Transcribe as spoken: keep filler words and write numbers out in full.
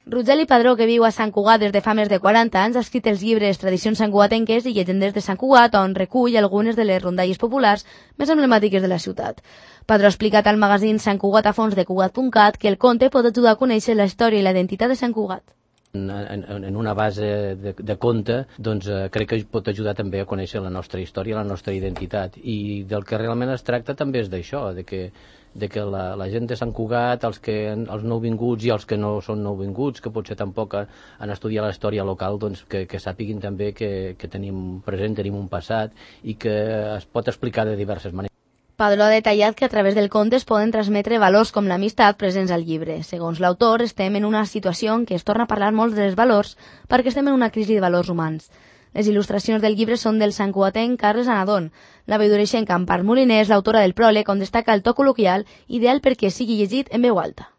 Rogeli Padró, que viu a Sant Cugat des de fa més de quaranta anys, ha escrit els llibres Tradicions santcugatenques i Llegendes de Sant Cugat, on recull algunes de les rondalles populars més emblemàtiques de la ciutat. Padró ha explicat al magazín Sant Cugat a fons de Cugat punt cat que el conte pot ajudar a conèixer la història i la identitat de Sant Cugat. En, en, en una base de, de conte, doncs eh, crec que pot ajudar també a conèixer la nostra història, la nostra identitat, i del que realment es tracta també és d'això, de que de que la, la gent de Sant Cugat, els, que, els nouvinguts i els que no són nouvinguts, que potser tampoc han estudiat la història local, doncs que, que sàpiguin també que, que tenim present, tenim un passat i que es pot explicar de diverses maneres. Padró ha detallat que a través del conte es poden transmetre valors com l'amistat presents al llibre. Segons l'autor, estem en una situació en què es torna a parlar molt dels valors perquè estem en una crisi de valors humans. Les il·lustracions del llibre són del santcugatenc Carles Anadón. La veidoreixenca Empar Moliner és l'autora del pròleg, on destaca el to col·loquial, ideal perquè sigui llegit en veu alta.